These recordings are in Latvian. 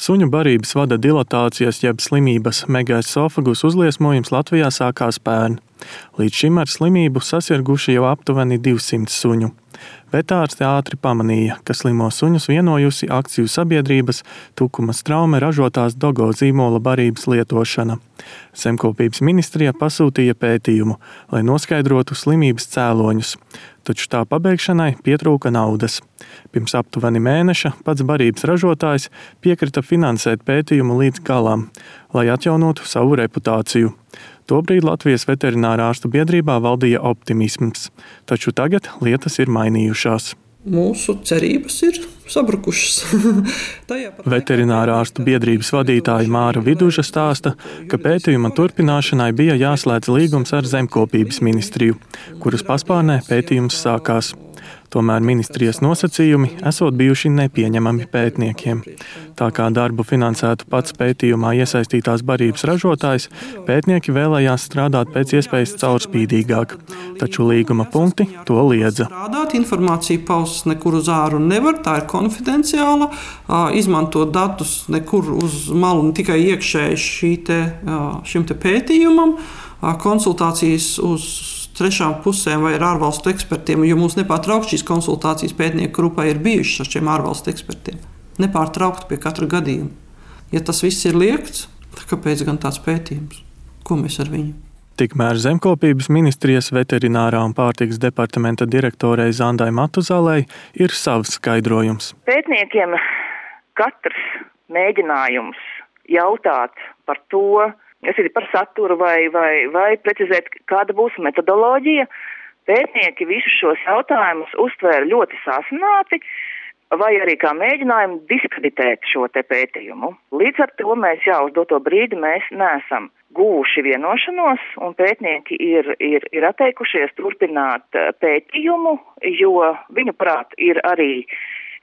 Suņu barības vada dilatācijas jeb slimības megaesofagus uzliesmojums Latvijā sākās pērn. Līdz šim ar slimību sasirguši jau aptuveni 200 suņu. Vetārsti ātri pamanīja, ka slimo suņus vienojusi akciju sabiedrības Tukuma Straume ražotās Dogo zīmola barības lietošana. Zemkopības ministrija pasūtīja pētījumu, lai noskaidrotu slimības cēloņus, taču tā pabeigšanai pietrūka naudas. Pirms aptuveni mēneša pats barības ražotājs piekrita finansēt pētījumu līdz galam, lai atjaunotu savu reputāciju. Tobrīd Latvijas veterinārā ārstu biedrībā valdīja optimisms, taču tagad lietas ir mainījušās. Mūsu cerības ir sabrukušas. Veterinārā ārstu biedrības vadītāja Māra Viduža stāsta, ka pētījuma turpināšanai bija jāslēdz līgums ar Zemkopības ministriju, kuras paspārnē pētījums sākās. Tomēr ministrijas nosacījumi esot bijuši nepieņemami pētniekiem. Tā kā darbu finansētu pats pētījumā iesaistītās barības ražotājs, pētnieki vēlējās strādāt pēc iespējas caurspīdīgāk, taču līguma punkti to liedza. Informācija paustas nekur uz āru nevar, tā ir konfidenciāla, izmantot datus nekur uz malu, ne tikai iekšēji šim pētījumam, konsultācijas uz trešām pusēm vai ar ārvalstu ekspertiem, jo mums nepārtraukti šīs konsultācijas pētnieku grupai ir bijušas ar šiem ārvalstu ekspertiem. Nepārtraukti pie katra gadījuma. Ja tas viss ir liegts, tad kāpēc gan tāds pētījums? Ko mēs ar viņu? Tikmēr Zemkopības ministrijas veterinārā un pārtikas departamenta direktorei Zandai Matuzalei ir savs skaidrojums. Pētniekiem katrs mēģinājums jautāt par to, kas ir par saturu vai precizēt, kāda būs metodoloģija. Pētnieki visus šos jautājumus uztvēra ļoti sāsināti, vai arī kā mēģinājumu diskreditēt šo te pētījumu. Līdz ar to mēs jau uz doto brīdi mēs neesam guvuši vienošanos, un pētnieki ir atteikušies turpināt pētījumu, jo viņu prāt ir arī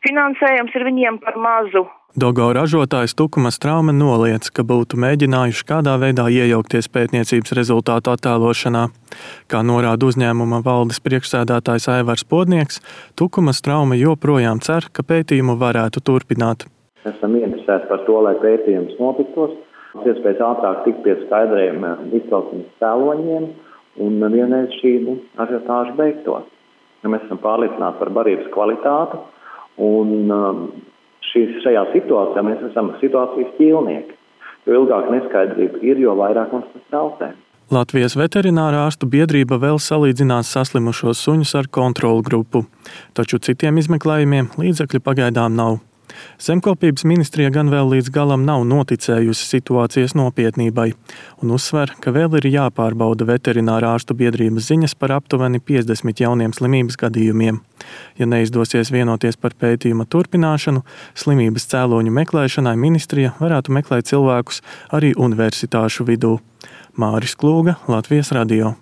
finansējums ir viņiem par mazu. Dogo ražotājs Tukuma Straume noliedz, ka būtu mēģinājuši kādā veidā iejaukties pētniecības rezultātu attēlošanā. Kā norāda uzņēmuma valdes priekšsēdētājs Aivars Podnieks, Tukuma Straume joprojām cer, ka pētījumu varētu turpināt. Esam interesēti par to, lai pētījums notiktos, iespējas ātrāk tikt pie skaidriem izcelsmes cēloņiem un vienreiz šī ažiotāža beigtos. Mēs esam pārliecināti par barības kvalitāti un šajā situācijā mēs esam situācijas ķīlnieki. Jo ilgāk neskaidrība ir, jo vairāk mums tas traucē. Latvijas veterinārā ārstu biedrība vēl salīdzinās saslimušos suņus ar kontrolu grupu, taču citiem izmeklējumiem līdzekļu pagaidām nav. Zemkopības ministrija gan vēl līdz galam nav noticējusi situācijas nopietnībai un uzsver, ka vēl ir jāpārbauda veterinārā ārstu biedrības ziņas par aptuveni 50 jauniem slimības gadījumiem. Ja neizdosies vienoties par pētījuma turpināšanu, slimības cēloņu meklēšanai ministrija varētu meklēt cilvēkus arī universitāšu vidū. Māris Klūga, Latvijas radio.